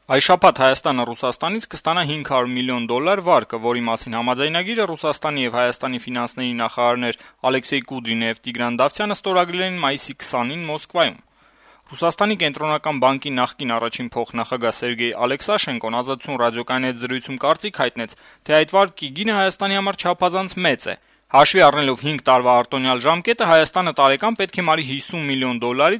Այս շաբաթ Հայաստանը Ռուսաստանից կստանա $500 միլիոն վարկը, որի մասին համաձայնագիրը Ռուսաստանի եւ Հայաստանի ֆինանսների նախարարներ Ալեքսեյ Կուդրինը եւ Տիգրան Դավթյանը ստորագրել են մայիսի 20-ին Մոսկվայում։ Ռուսաստանի կենտրոնական բանկի նախկին առաջին փոխնախագահ Սերգեյ Ալեքսաշենկոն Ազատություն ռադիոկայանի հետ զրույցում կարծիք հայտնեց, թե այդ վարկի գինը Հայաստանի համար չափազանց մեծ է։ Հաշվի առնելով 5 տարվա արտոնյալ ժամկետը Հայաստանը տարեկան պետք է մարի $50 միլիոն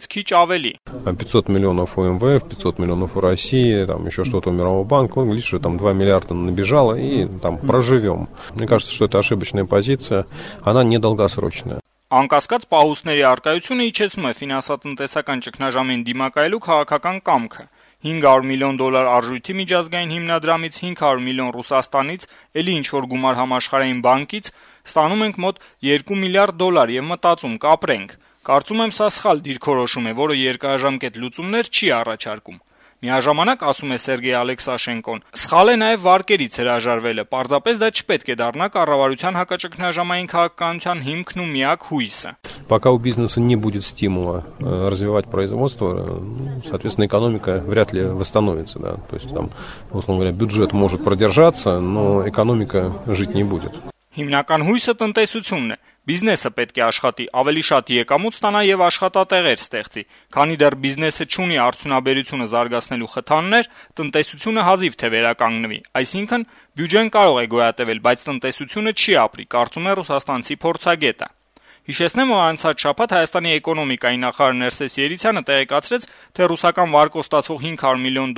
քիչ ավելի։ 500 миллионов у МВФ, 500 миллионов у России, там еще что-то у Мирового банка, видишь, что там 2 миллиарда набежало и там проживем. Мне кажется, что это ошибочная позиция, она недолгосрочная. Անկասկած պահուստների արկայությունը իջեցնում է ֆինանսատնտեսական ճգնաժամին դիմակայելու քաղաքական կամքը։ $500 միլիոն արժույթի միջազգային հիմնադրամից, 500 միլիոն Ռուսաստանից, ելի ինչ-որ գումար համաշխարհային բանկից ստանում ենք մոտ $2 միլիարդ եւ մտածում կապրենք։ Կարծում եմ սա սխալ դիրքորոշում է, որը երկարաժամկետ լուծումներ չի առաջարկում։ Միաժամանակ, ասում է Սերգեյ Ալեքսաշենկոն, սխալ է նաև վարկերից հրաժարվելը, պարզապես դա չպետք է դառնա կառավարության հակաճգնաժամային քաղաքականության հիմքն ու միակ հույսը։ Пока у бизнеса не будет стимула развивать производство, соответственно, экономика вряд ли восстановится, да. То есть там, условно говоря, бюджет может продержаться, но экономика жить не будет. Հիմնական հույսը տնտեսությունն է։ Բիզնեսը պետք է աշխատի, ավելի շատ եկամուտ ստանա եւ աշխատատեղեր ստեղծի։ Քանի դեռ բիզնեսը չունի արդյունաբերությունը զարգացնելու խթաններ, տնտեսությունը հազիվ թե վերականգնվի։ Այսինքն, բյուջեն կարող է գոյատևել, բայց տնտեսությունը չի ապրի, կարծում է ռուսաստանցի փորձագետը։ Հիշեցնեմ, որ անցած շաբաթ Հայաստանի էկոնոմիկայի նախարար Ներսես Երիցյանը տեղեկացրեց, թե ռուսական վարկով ստացվող $500 միլիոն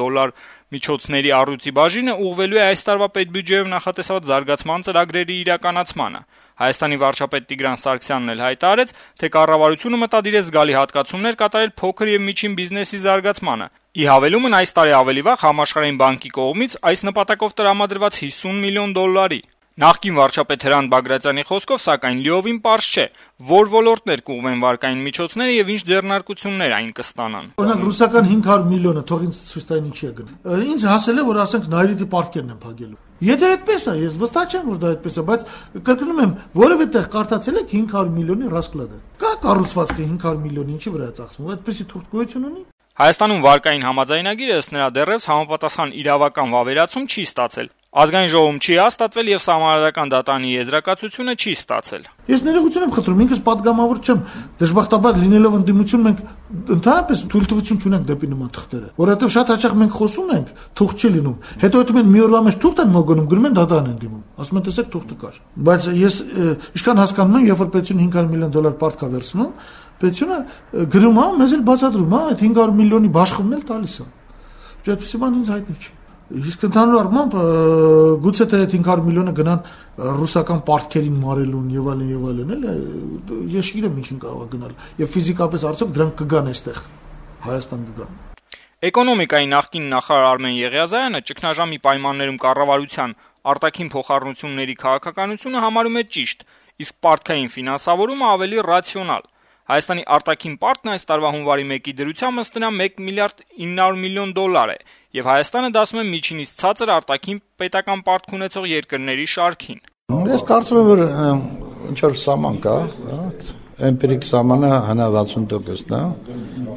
միջոցների առյուծի բաժինը ուղղվելու է այս տարվա պետբյուջեով նախատեսված զարգացման ծրագրերի իրականացմանը։ Հայաստանի վարչապետ Տիգրան Սարգսյանն էլ հայտարարեց, թե կառավարությունը մտադիր է զգալի հատկացումներ կատարել փոքր եւ միջին բիզնեսի զարգացմանը։ Ի հավելումն այս տարի ավելի վաղ Համաշխարհային բանկի կողմից այս նպատակով տրամադրված $50 միլիոն։ Նախկին վարչապետ Հրանտ Բագրատյանի խոսքով, սակայն լիովին պարզ չէ, որ ոլորտներ կուղղվեն վարկային միջոցները եւ ինչ ձեռնարկություններ այն կստանան։ Օրինակ ռուսական 500 միլիոնը թող ինձ ցույց տային ինչի է գնում։ Ինձ հասել է, որ ասենք Նայիրիտի պարտքերն են փակելու։ Եթե այդպես է, ես վստահ չեմ, որ դա այդպես է, բայց կրկնում եմ, որևէ տեղ կարդացել եք 500 միլիոնի ռասկլադը։ Կա կառուցվածքը 500 միլիոնի ինչի վրա է ծախսվում, այդպեսի թուղթ գոյություն ունի։ Հայաստանում վարկային համաձայնագիրը ըստ նրա դեռևս համապատասխան իրավական վավերացում չի ստացել։ Ազգային ժողովում չի հաստատվել եւ Սահմանադրական դատարանի եզրակացությունը չի ստացել։ Ես ներողություն եմ խնդրում, ինքս պատգամավոր չեմ, դժբախտաբար լինելով ընդդիմություն մենք ընդհանրապես թույլտվություն չունենք դեպի նման թղթերը, որովհետեւ շատ հաճախ մենք խոսում ենք, թուղթ չի լինում։ Հետո դու մի օրվա մեջ թուղթ են մոգոնում, գնում են դատարան են դիմում։ Ասում են տեսեք թուղթը կար։ Բայց ես ինչքան հասկանում եմ, երբ որ պետությունը $500 միլիոն պարտք է վերցնում, պետությունը գրում է, մեզ էլ բացատրում է, այդ 500 միլիոնի բաշխումն էլ տալիս է։ Այդպեսի բան ինձ հայտնի չի։ Իսկ ընդհանուր առմամբ գուցե թե 500 միլիոնը գնան ռուսական պարտքերին մարելուն եւ այլն, էլ ես չգիտեմ ինչին կարող է գնալ։ Եվ ֆիզիկապես արդյոք դրանք կգան այստեղ Հայաստան կգան։ Էկոնոմիկայի նախկին նախարար Արմեն Եղիազարյանը ճգնաժամի պայմաններում կառավարության արտաքին փոխառնությունների քաղաքականությունը համարում է ճիշտ, իսկ պարտքային ֆինանսավորումը ավելի ռացիոնալ։ Հայաստանի արտաքին պարտքն այս տարվա հունվարի 1-ի դրությամբ ըստ նրա $1 միլիարդ 900 միլիոն է, եւ Հայաստանը դասում է միջինից ցածր արտաքին պետական պարտք ունեցող երկրների շարքին։ Ես կարծում եմ, որ ինչ որ սահման կա, էմպիրիկ սահմանը 60%-ն է,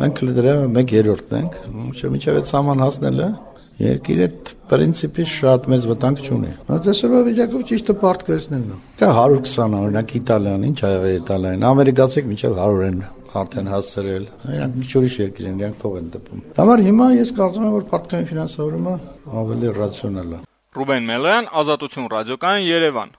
մենք դրա 1/3-ն ենք, մինչեւ այդ սահման հասնելը երկիրը պրինցիպի շատ մեծ վտանգ չունի։ Այսօրվա վիճակով ճիշտը պարտք վերցնելն է։ Կա 120, օրինակ Իտալիան, ինչ ա եղել Իտալիան, ամերիկացիք մինչև 100 են արդեն հասցրել։ Իրանք մի ուրիշ երկիր են, իրանք փող են տպում։ Համար հիմա ես կարծում եմ, որ պարտքային ֆինանսավորումը ավելի ռացիոնալ է։ Ռուբեն Մելոյան, Ազատություն ռադիոկայան, Երևան։